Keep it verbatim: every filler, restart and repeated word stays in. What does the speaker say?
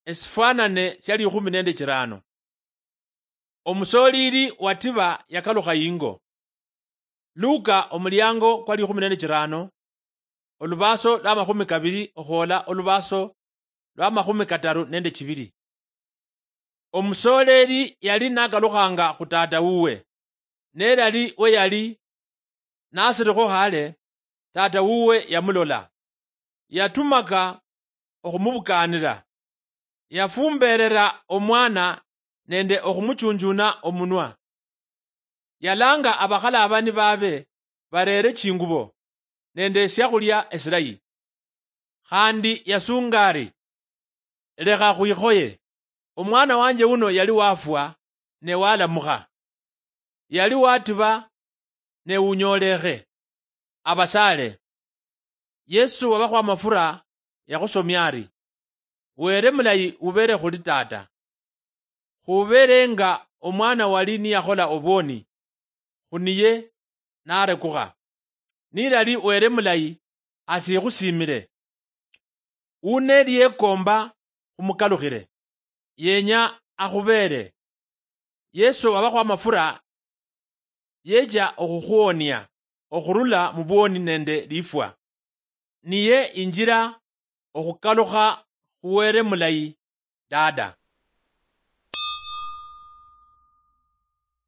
esifwanane sia likhumi nende chirano. Omusolili watiba yakalukha ingo. Luka omuliango kwa likhumi nende chirano, olubaso lwa makhumi kabili okhwola olubaso lwa makhumi kataru nende chibili. Omusoleli yali nakalukhanga khu tata wuwe, nelali we yali nasilikho khale, tata wuwe yamulola. Yatumaka okhumubukaanila. Yafumbeerera omwana nende okhumuchunjuna omunwa. Yalaanga abakhalaabani baabe bareere chingubo nende esyakhulya esilayi. Khandi yasuunga ari, "Lekha khwikhoye. Omwana wanje wuno yali wafwa, ne walamukha. Yali watiba, ne wunyoolekhe. Abasaale." Yesu wabakhwa amafura yakhusomia ari, "Wele mulayi ubele khuli Tata. Khubeele nga omwana wali niyakhola obwoni, khu niye narekukha. Nilali Wele mulayi, asikhusiimile. Wuneli yekoomba khumukalukhile, yenya akhubeele." Yesu wabakhwa amafura yecha okhukhwonia okhurula mu bwoni nende lifwa. Niye injila okhukalukha khu Wele mulayi Dada.